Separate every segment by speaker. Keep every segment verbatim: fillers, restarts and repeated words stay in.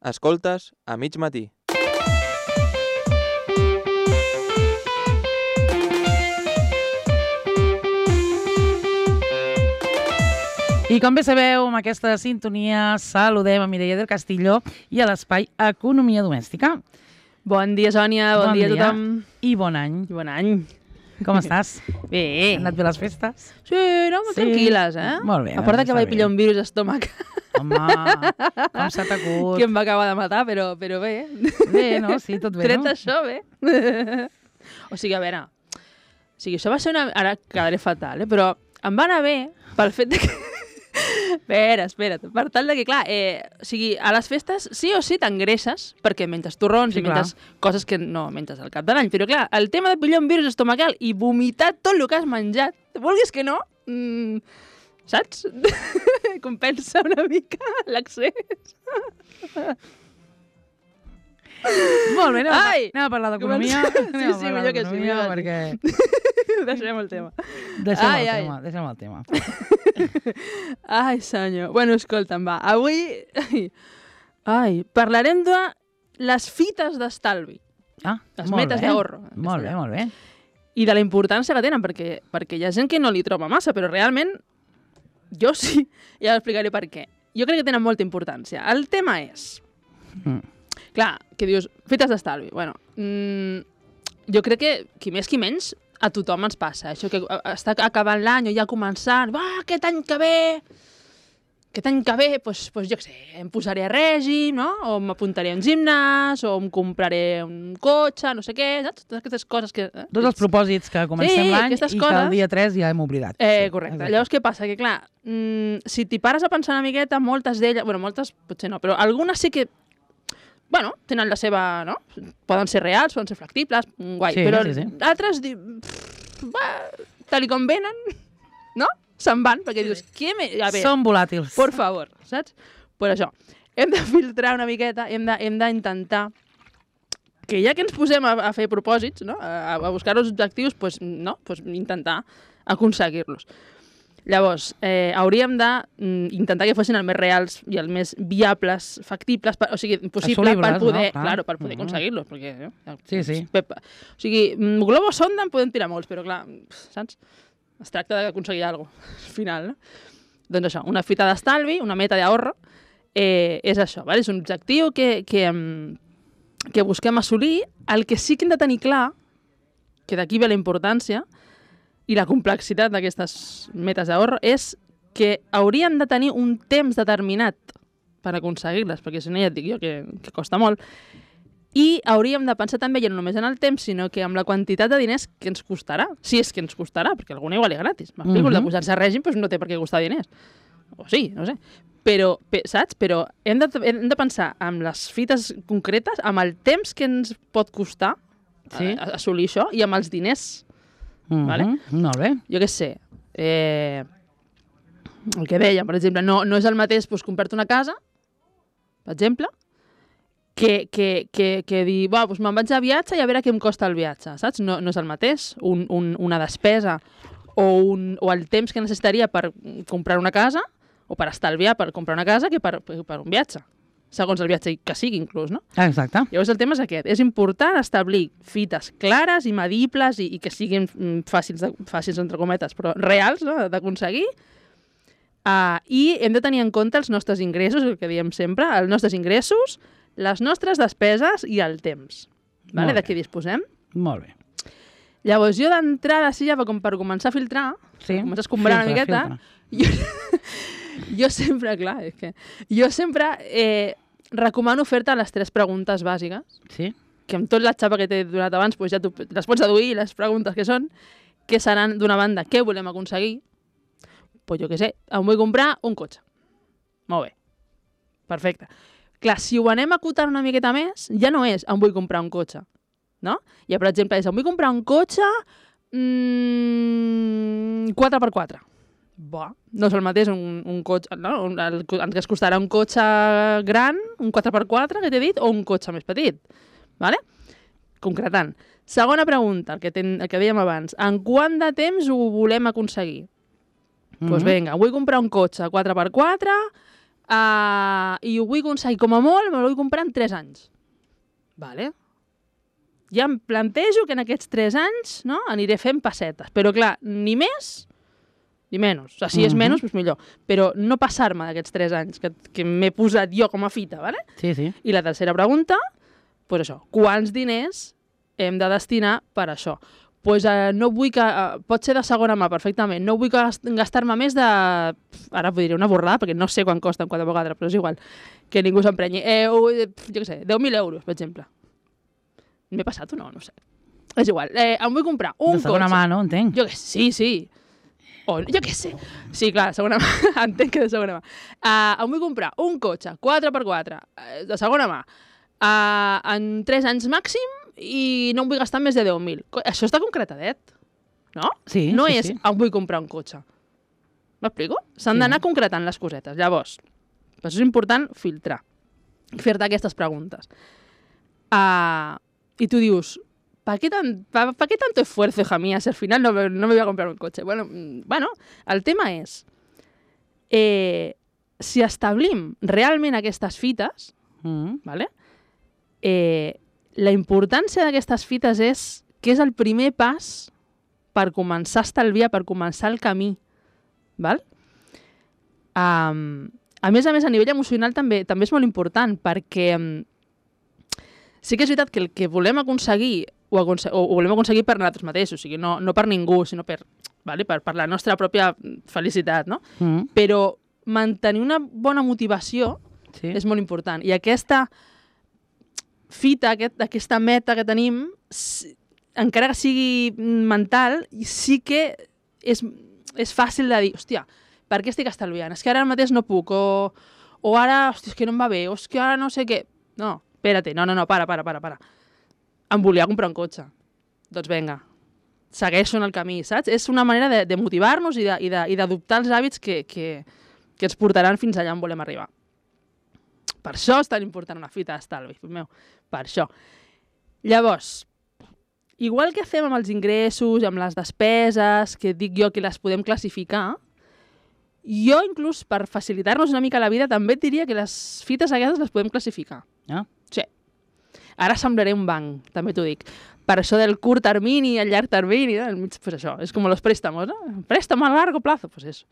Speaker 1: Escoltes a mig matí.
Speaker 2: I com bé sabeu, amb aquesta sintonia saludem a Mireia del Castillo i a l'espai Economia Domèstica.
Speaker 3: Bon dia, Sònia, bon, bon dia a tothom.
Speaker 2: I bon any.
Speaker 3: I bon any.
Speaker 2: Com estàs?
Speaker 3: Bé.
Speaker 2: Han anat bé les festes?
Speaker 3: Sí, no? Molt sí. tranquil·les, eh?
Speaker 2: Molt bé.
Speaker 3: A part que vaig pillar un virus estómac.
Speaker 2: Home, com s'ha t'acut.
Speaker 3: Que em va acabar de matar, però, però bé.
Speaker 2: Bé, no? Sí, tot bé,
Speaker 3: Tret
Speaker 2: no?
Speaker 3: Tret això, bé. O sigui, a veure, o sigui, això va ser una... Ara quedaré fatal, eh? Però em va anar bé pel fet de que... Espera, espera't. Per tal de que, clar, eh, o sigui, a les festes sí o sí t'engreixes, perquè menges torrons
Speaker 2: sí,
Speaker 3: i menges clar. coses que no menges al cap de l'any. Però, clar, el tema de pillar un virus estomacal i vomitar tot el que has menjat, vulguis que no, mmm, saps? Compensa una mica l'accés.
Speaker 2: Molt bé, anem, Ai, a, anem a parlar d'economia.
Speaker 3: Sí, sí, millor que sí. Millor
Speaker 2: perquè...
Speaker 3: Deixem el tema.
Speaker 2: Deixem ai, el ai. tema, deixem el tema.
Speaker 3: Ai, senyor. Bueno, escolta'm, va. Avui ai, parlarem de les fites d'estalvi.
Speaker 2: Ah,
Speaker 3: les metes d'ahorro.
Speaker 2: Molt bé, molt bé.
Speaker 3: I de la importància que tenen, perquè, perquè hi ha gent que no li troba massa, però realment jo sí. Ja explicaré per què. Jo crec que tenen molta importància. El tema és... Mm. Clar, que dius, fites d'estalvi. Bueno, mmm, jo crec que, qui més qui menys, a tothom ens passa. Això que està acabant l'any o ja començant, va, aquest any que ve, aquest any que ve, doncs, doncs jo què sé, em posaré a règim, no? O m'apuntaré a un gimnàs, o em compraré un cotxe, no sé què, saps? Totes aquestes coses que... Eh?
Speaker 2: Tots els propòsits que comencem
Speaker 3: sí,
Speaker 2: l'any i
Speaker 3: coses...
Speaker 2: que el dia tres ja hem oblidat.
Speaker 3: Eh,
Speaker 2: sí,
Speaker 3: correcte.
Speaker 2: exacte.
Speaker 3: Llavors, què passa? Que, clar, mmm, si t'hi pares a pensar una miqueta, moltes d'elles... Bueno, moltes potser no, però algunes sí que... Bueno, tenen la seva, no? Poden ser reals, poden ser factibles, guai.
Speaker 2: Sí,
Speaker 3: però
Speaker 2: sí, sí.
Speaker 3: altres, tal com venen, no? Se'n van, perquè dius, què me... A veure,
Speaker 2: són volàtils.
Speaker 3: Por favor, saps? Per això, hem de filtrar una miqueta, hem d'intentar que ja que ens posem a, a fer propòsits, no? A, a buscar els objectius, pues, no? Pues intentar aconseguir-los. Llavors, eh, hauríem d'intentar que fossin els més reals i els més viables, factibles, per, o sigui, possible per poder, no? Claro, per poder uh -huh. aconseguir-los. Perquè, eh,
Speaker 2: sí, sí.
Speaker 3: Pepa. O sigui, globus sonda en podem tirar molts, però clar, saps? Es tracta d'aconseguir alguna cosa, al final, no? Doncs això, una fita d'estalvi, una meta d'ahorro, eh, és això, ¿vale? És un objectiu que, que, que busquem assolir. El que sí que hem de tenir clar, que d'aquí ve la importància, i la complexitat d'aquestes metes d'ahorro és que hauríem de tenir un temps determinat per aconseguir-les, perquè si no ja et dic jo que, que costa molt, i hauríem de pensar també ja no només en el temps, sinó que amb la quantitat de diners que ens costarà, si és que ens costarà, perquè alguna igual és gratis. M'explico, uh -huh. el de posar-se a règim doncs no té per què costar diners. O sí, no sé. Però, saps? Però hem de, hem de pensar en les fites concretes, amb el temps que ens pot costar sí. a, a assolir això i amb els diners.
Speaker 2: Uh-huh.
Speaker 3: Vale?
Speaker 2: Molt bé.
Speaker 3: Jo què sé, eh, el que dèiem, per exemple, no, no és el mateix doncs, comprar-te una casa, per exemple, que, que, que, que dir, va, doncs me'n vaig de viatge i a veure què em costa el viatge, saps? No, no és el mateix, un, un, una despesa o, un, o el temps que necessitaria per comprar una casa o per estalviar per comprar una casa que per, per un viatge. Segons el viatge que sigui, inclús, no?
Speaker 2: Exacte.
Speaker 3: Llavors el tema és aquest. És important establir fites clares i medibles i, i que siguin fàcils, de, fàcils entre cometes, però reals, no?, d'aconseguir. Uh, I hem de tenir en compte els nostres ingressos, el que diem sempre, els nostres ingressos, les nostres despeses i el temps. Vale? De què disposem?
Speaker 2: Molt bé.
Speaker 3: Llavors jo d'entrada, sí, ja com per començar a filtrar,
Speaker 2: sí.
Speaker 3: per començar a escombrar una miqueta, jo... Jo sempre, clar, és que... Jo sempre eh, recomano fer-te les tres preguntes bàsiques,
Speaker 2: sí.
Speaker 3: que amb tot la xapa que t'he donat abans pues ja tu les pots deduir, les preguntes que són, que seran, d'una banda, què volem aconseguir? Pues jo què sé, em vull comprar un cotxe. Molt bé. Perfecte. Clar, si ho anem acotant una miqueta més, ja no és em vull comprar un cotxe, no? Ja, per exemple, és em vull comprar un cotxe mmm, quatre per quatre. Bah, no és el mateix un, un cotxe, no? El, el, el que es costarà un cotxe gran, un quatre per quatre, que t'he dit, o un cotxe més petit. Vale? Concretant. Segona pregunta, el que, ten, el que dèiem abans. En quant de temps ho volem aconseguir? Doncs mm -hmm. pues vinga, vull comprar un cotxe quatre per quatre Uh, I ho vull aconseguir com a molt, me lo vull comprar en tres anys. Vale. Ja em plantejo que en aquests tres anys, no, aniré fent pessetes. Però clar, ni més ni menys. O sigui, si és
Speaker 2: Mhm.
Speaker 3: menys, doncs millor. Però no passar-me d'aquests tres anys que, que m'he posat jo com a fita, vale?
Speaker 2: Sí, sí.
Speaker 3: I la tercera pregunta, pues això, quants diners hem de destinar per això? Pues, eh, no vull que... Eh, pot ser de segona mà, perfectament. No vull que gast- gastar-me més de... Ara vull dir una borrada, perquè no sé quan costen quatre per quatre, però és igual. Que ningú s'emprenyi. Eh, o, eh, jo què sé, deu mil euros, per exemple. M'he passat o no? No ho sé. És igual. Eh, em vull comprar un
Speaker 2: De segona
Speaker 3: cotxe.
Speaker 2: mà, no? Entenc.
Speaker 3: Jo què sé, sí, sí. O, jo què sé. Sí, clar, de segona mà. Entenc que de segona mà. Uh, em vull comprar un cotxe quatre per quatre, uh, de segona mà, uh, en tres anys màxim i no em vull gastar més de deu mil. Co- Això està concretadet, no?
Speaker 2: Sí,
Speaker 3: no
Speaker 2: sí,
Speaker 3: és
Speaker 2: sí.
Speaker 3: em vull comprar un cotxe. M'explico? S'han
Speaker 2: Sí.
Speaker 3: d'anar concretant les cosetes. Llavors, per això és important filtrar i fer-te aquestes preguntes. Uh, I tu dius, ¿para qué, tan, pa, pa qué tanto esfuerzo, hija mía, si al final no, me- no me voy a comprar un coche? Bueno, mm, bueno el tema és, eh, si establim realment aquestes fites,
Speaker 2: Mm.
Speaker 3: ¿vale? eh, la importància d'aquestes fites és que és el primer pas per començar a estalviar, per començar el camí. Val? Um, a més a més, a nivell emocional també també és molt important, perquè um, sí que és veritat que el que volem aconseguir ho, aconse ho volem aconseguir per nosaltres mateixos, o sigui, no, no per ningú, sinó per, vale? per, per la nostra pròpia felicitat, no?
Speaker 2: Mm.
Speaker 3: Però mantenir una bona motivació
Speaker 2: Sí.
Speaker 3: és molt important. I aquesta fita, aquest, aquesta meta que tenim, si, encara que sigui mental, sí que és, és fàcil de dir, hòstia, per què estic estalviant? És que ara mateix no puc, o, o ara, hòstia, és que no em va bé, o és que ara no sé què... No, espera't, no, no, no, para, para, para, para. Em volia comprar un cotxe. Doncs vinga, segueixo en el camí, saps? És una manera de, de motivar-nos i de- i de- i d'adoptar els hàbits que, que, que ens portaran fins allà on volem arribar. Per això és tan important una fita d'estalvi, fill meu. Per això. Llavors, igual que fem amb els ingressos, amb les despeses, que dic jo que les podem classificar, jo inclús per facilitar-nos una mica la vida també et diria que les fites aquestes les podem classificar.
Speaker 2: Ah.
Speaker 3: Sí. Ara semblaré un banc, també t'ho dic. Per això del curt termini i el llarg termini, no? Mig, pues això, és com los préstamos, no? Préstamo a largo plazo, pues eso,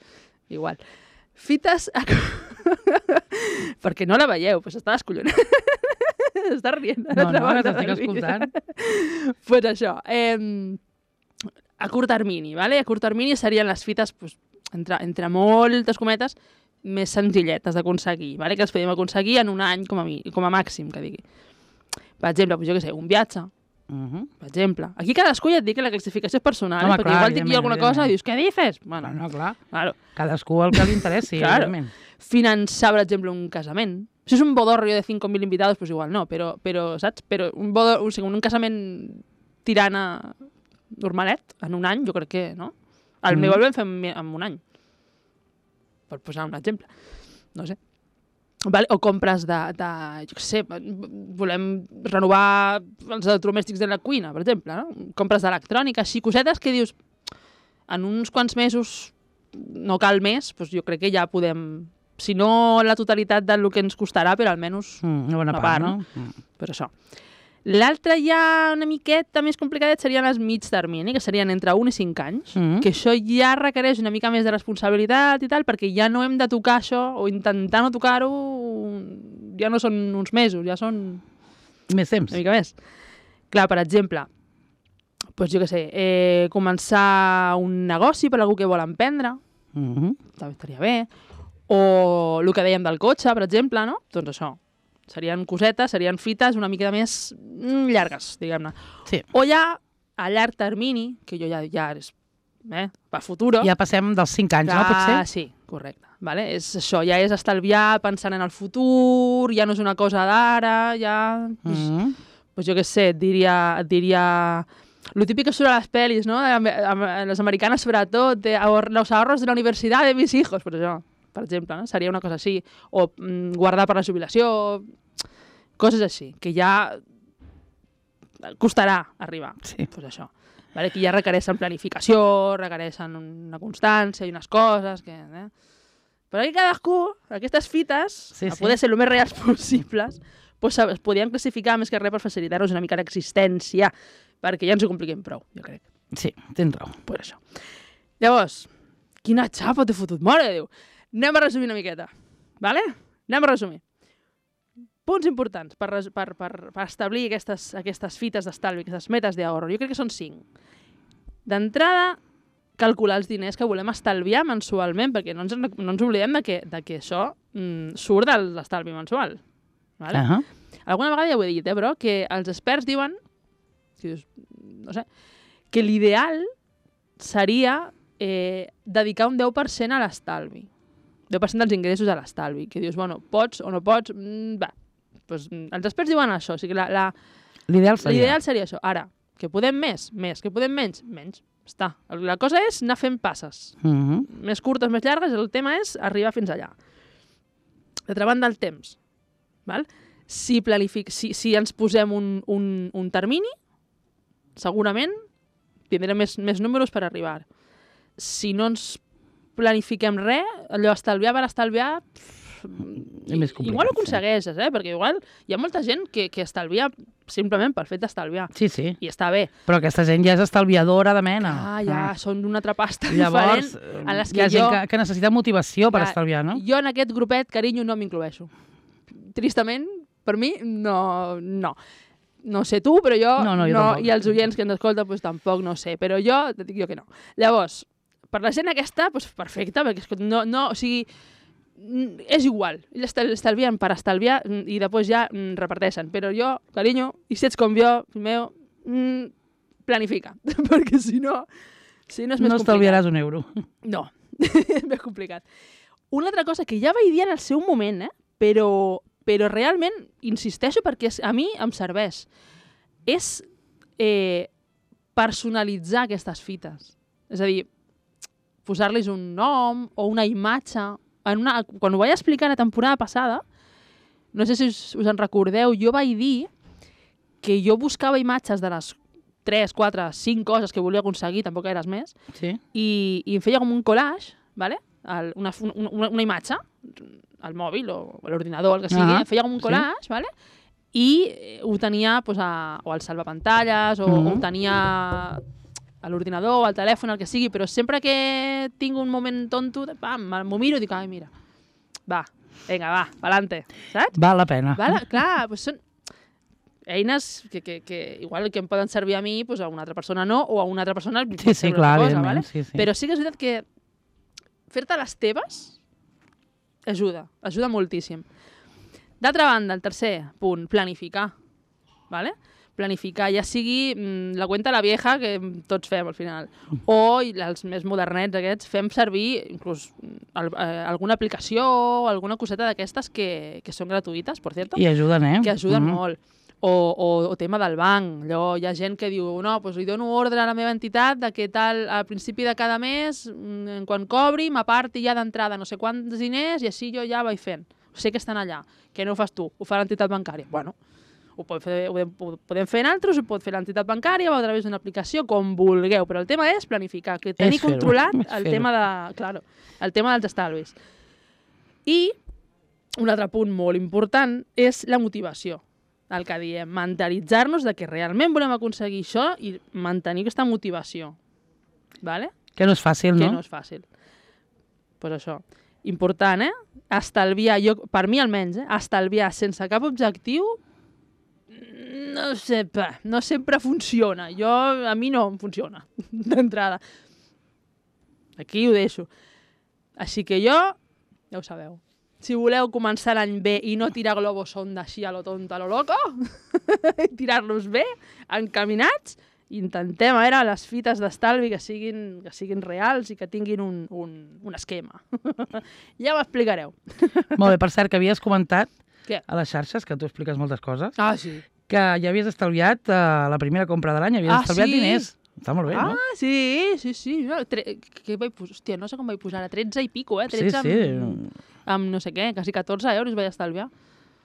Speaker 3: igual. Fites... A... Perquè no la veieu, pues està descollonant. està rient. a
Speaker 2: No,
Speaker 3: l'altra
Speaker 2: no,
Speaker 3: banda
Speaker 2: que t'estic
Speaker 3: del vídeo.
Speaker 2: escoltant.
Speaker 3: pues això, eh, a curt termini, ¿vale? A curt termini serien les fites, pues, entre, entre moltes cometes, més senzilletes d'aconseguir, ¿vale? Que les podem aconseguir en un any com a, mi, com a màxim, que digui. Per exemple, pues, jo què sé, un viatge,
Speaker 2: Mhm.
Speaker 3: per exemple. Aquí cadascú ja et dic que la classificació és personal,
Speaker 2: Home,
Speaker 3: eh? perquè
Speaker 2: clar,
Speaker 3: igual dic jo alguna
Speaker 2: evidentment,
Speaker 3: cosa i dius, què dices? Bueno,
Speaker 2: Bueno, clar,
Speaker 3: claro.
Speaker 2: cadascú el que li interessi,
Speaker 3: Claro.
Speaker 2: evidentment.
Speaker 3: Finançar, per exemple, un casament. Si és un bodorrio de cinco mil invitados, pues igual no, però, però saps? Però un, bodor, o sigui, un casament tirant a normalet, en un any, jo crec que, no? El
Speaker 2: Mm.
Speaker 3: meu el vam fer en, en un any. Per posar un exemple. No sé. Vale? O compres de, de, jo què sé, volem renovar els electrodomèstics de la cuina, per exemple, no? Compres d'electrònica, així, cosetes que dius, en uns quants mesos, no cal més, doncs jo crec que ja podem, si no la totalitat del que ens costarà, però almenys
Speaker 2: Mm, una bona
Speaker 3: una
Speaker 2: part,
Speaker 3: part,
Speaker 2: no? Mm.
Speaker 3: per això. L'altre ja una miqueta més complicadet serien les mig termini, que serien entre un i cinc anys,
Speaker 2: Mm.
Speaker 3: que això ja requereix una mica més de responsabilitat i tal, perquè ja no hem de tocar això, o intentar no tocar-ho, ja no són uns mesos, ja són
Speaker 2: Més temps.
Speaker 3: una mica més. Clar, per exemple, doncs jo què sé, eh, començar un negoci per algú que vol emprendre,
Speaker 2: Mhm.
Speaker 3: també estaria bé, o el que dèiem del cotxe, per exemple, no? Doncs això, serien cosetes, serien fites una mica més mm, llargues, diguem-ne.
Speaker 2: Sí.
Speaker 3: O ja a llarg termini, que jo ja, ja és eh, per futur.
Speaker 2: Ja passem dels cinc anys, no, potser?
Speaker 3: Sí, correcte. Vale? És això, ja és estalviar pensant en el futur, ja no és una cosa d'ara, ja... Pues,
Speaker 2: Mhm.
Speaker 3: pues jo què sé, et diria... Et diria lo típic que surt a les pel·lis, no? A, a, a les americanes, sobretot, de ahor los ahorros de la universitat de mis hijos, pues això, per exemple, no? Seria una cosa així. O mm, guardar per la jubilació, coses així, que ja costarà arribar.
Speaker 2: Sí.
Speaker 3: Pues això. Vale? Que ja requereixen planificació, requereixen una constància i unes coses que, eh? Però aquí cadascú, aquestes fites,
Speaker 2: Sí,
Speaker 3: a
Speaker 2: sí.
Speaker 3: poder ser el més reals possibles, doncs es podien classificar més que res per facilitar-nos una mica l'existència, perquè ja ens ho compliquem prou, jo crec.
Speaker 2: Sí, tens raó.
Speaker 3: Pues això. Llavors, quina xapa t'he fotut, mare de Déu. Anem a resumir una miqueta, vale? Anem a resumir. Punts importants per, res- per, per, per establir aquestes, aquestes fites d'estalvi, aquestes metes d'ahorro. Jo crec que són cinc. D'entrada, calcular els diners que volem estalviar mensualment, perquè no ens, en- no ens oblidem de que, de que això mm, surt de l'estalvi mensual. Vale?
Speaker 2: Uh -huh.
Speaker 3: Alguna vegada ja ho he dit, eh, però, que els experts diuen, que dius, no sé, que l'ideal seria eh, dedicar un deu per cent a l'estalvi. deu per cent dels ingressos a l'estalvi. Que dius, bueno, pots o no pots, mm, va. Pues, mm, els experts diuen això, o sigui, la, la,
Speaker 2: L'ideal seria...
Speaker 3: l'ideal seria això. Ara, que podem més, més, que podem menys, menys. Està. La cosa és anar fent passes.
Speaker 2: Uh -huh.
Speaker 3: Més curtes, més llargues, el tema és arribar fins allà. D'altra banda, el temps. Val? Si, planific... si, si ens posem un, un, un termini, segurament tindrem més, més números per arribar. Si no ens planifiquem res, allò estalviar per estalviar,
Speaker 2: És més complicat,
Speaker 3: igual ho
Speaker 2: sí.
Speaker 3: aconsegueixes, eh? Perquè igual hi ha molta gent que, que estalvia simplement pel fet d'estalviar.
Speaker 2: Sí, sí.
Speaker 3: I està bé.
Speaker 2: Però aquesta gent ja és estalviadora de mena.
Speaker 3: Ah, ja, són d'una altra pasta
Speaker 2: Llavors,
Speaker 3: diferent. En les
Speaker 2: hi ha
Speaker 3: que
Speaker 2: gent
Speaker 3: jo,
Speaker 2: que, que necessita motivació per
Speaker 3: Clar,
Speaker 2: estalviar, no?
Speaker 3: jo en aquest grupet, carinyo, no m'incloeixo. Tristament, per mi, no. no. No sé tu, però jo,
Speaker 2: No, no, jo tampoc.
Speaker 3: i els oients que ens escolten, doncs, tampoc no sé, però jo, et dic jo que no. Llavors, per la gent aquesta, doncs, perfecte, perquè escolta, no, no, o sigui, mm, és igual, ells estal- estalvien per estalviar mm, i després ja mm, reparteixen, però jo, carinyo, i si ets com jo, fill meu, mm, planifica, perquè si no, si no és més
Speaker 2: No
Speaker 3: complicat.
Speaker 2: estalviaràs un euro.
Speaker 3: No, és més complicat. Una altra cosa que ja vaig dir en el seu moment, eh? però, però realment insisteixo perquè és, a mi em serveix, és eh, personalitzar aquestes fites. És a dir, posar-los un nom o una imatge. En una, quan ho vaig explicar la temporada passada, no sé si us, us en recordeu, jo vaig dir que jo buscava imatges de les tres, quatre, cinc coses que volia aconseguir, tampoc eres més,
Speaker 2: Sí?
Speaker 3: i, i em feia com un collage, ¿vale? El, una, una, una imatge, al mòbil o a l'ordinador, el que sigui,
Speaker 2: Ah,
Speaker 3: em feia com un
Speaker 2: sí.
Speaker 3: collage, ¿vale? I eh, ho tenia pues, a, o al salvapantalles, o,
Speaker 2: Mhm.
Speaker 3: o ho tenia a l'ordinador, al telèfon, el que sigui, però sempre que tinc un moment tonto, de, pam, m'ho miro i dic, ai, mira, va, vinga, va, pa'lante, saps?
Speaker 2: Val la pena.
Speaker 3: Vale? Clar, doncs són eines que, que, que igual que em poden servir a mi, doncs a una altra persona no, o a una altra persona li
Speaker 2: Sí,
Speaker 3: pot
Speaker 2: sí,
Speaker 3: servir
Speaker 2: clar,
Speaker 3: una cosa,
Speaker 2: evidentment,
Speaker 3: vale?
Speaker 2: sí, sí.
Speaker 3: Però sí que és veritat que fer-te les teves ajuda, ajuda moltíssim. D'altra banda, el tercer punt, planificar. Vale? Planificar, ja sigui mm, la cuenta la vieja que tots fem al final, o i els més modernets aquests, fem servir inclús mm, al, eh, alguna aplicació o alguna coseta d'aquestes que, que són gratuïtes, per cierto,
Speaker 2: I ajuden, eh?
Speaker 3: que ajuden
Speaker 2: Mhm.
Speaker 3: molt. O, o, o tema del banc. Allò, hi ha gent que diu, no, doncs li dono ordre a la meva entitat de que tal, al principi de cada mes, mm, quan cobri, m'aparti ja d'entrada no sé quants diners i així jo ja vaig fent. Sé que estan allà, que no ho fas tu, ho fa l'entitat bancària. Bueno, ho, pot fer, ho, podem, ho podem fer altres, ho pot fer l'entitat bancària o a través d'una aplicació, com vulgueu, però el tema és planificar, que tenir
Speaker 2: fer-ho,
Speaker 3: controlat
Speaker 2: és
Speaker 3: el
Speaker 2: fer-ho.
Speaker 3: tema, de, claro, el tema dels estalvis. I un altre punt molt important és la motivació. El que diem, mentalitzar-nos de que realment volem aconseguir això i mantenir aquesta motivació. Vale?
Speaker 2: Que no és fàcil,
Speaker 3: Que
Speaker 2: no?
Speaker 3: no és fàcil. Doncs pues això. Important, eh? Estalviar, jo, per mi almenys, eh? Estalviar sense cap objectiu, no sé, pa, no sempre funciona. Jo, a mi no em funciona, d'entrada. Aquí ho deixo. Així que jo, ja ho sabeu, si voleu començar l'any bé i no tirar globos sonda així a lo tonto, a lo loco, tirar-los bé, encaminats, intentem a veure les fites d'estalvi que siguin, que siguin reals i que tinguin un, un, un esquema. Ja ho explicareu.
Speaker 2: Molt bé, per cert, que havies comentat
Speaker 3: Què?
Speaker 2: a les xarxes, que tu expliques moltes coses,
Speaker 3: Ah, sí.
Speaker 2: que ja havies estalviat uh, la primera compra de l'any, havies
Speaker 3: Ah,
Speaker 2: estalviat
Speaker 3: sí?
Speaker 2: diners. Està molt bé,
Speaker 3: Ah,
Speaker 2: no?
Speaker 3: sí, sí, sí. No, tre... que vaig posar? Hòstia, no sé com vaig posar, a tretze i pico, eh?
Speaker 2: Sí,
Speaker 3: tretze
Speaker 2: sí.
Speaker 3: Amb, amb no sé què, quasi catorze euros vaig estalviar.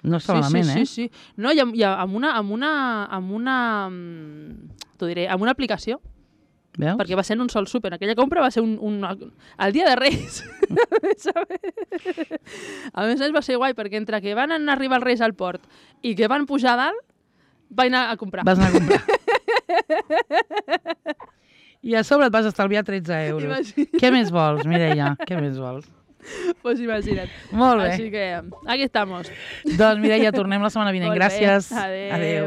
Speaker 2: No està
Speaker 3: sí,
Speaker 2: malament,
Speaker 3: sí,
Speaker 2: eh?
Speaker 3: sí, sí. No, i, amb, i amb una, amb una, amb una, mm, t'ho diré, amb una aplicació
Speaker 2: Veus?
Speaker 3: Perquè va ser en un sol súper. Aquella compra va ser un, un, el dia de Reis. A més a més va ser guai, perquè entre que van arribar els Reis al port i que van pujar a dalt, vaig anar a comprar.
Speaker 2: Vas anar a comprar. I a sobre et vas estalviar tretze euros.
Speaker 3: Imagina't.
Speaker 2: Què més vols, Mireia? Què més vols?
Speaker 3: Pues imagina't.
Speaker 2: Molt bé.
Speaker 3: Així que aquí estamos.
Speaker 2: Doncs Mireia, tornem la setmana vinent.
Speaker 3: Molt bé.
Speaker 2: Gràcies.
Speaker 3: Adéu.
Speaker 2: Adéu.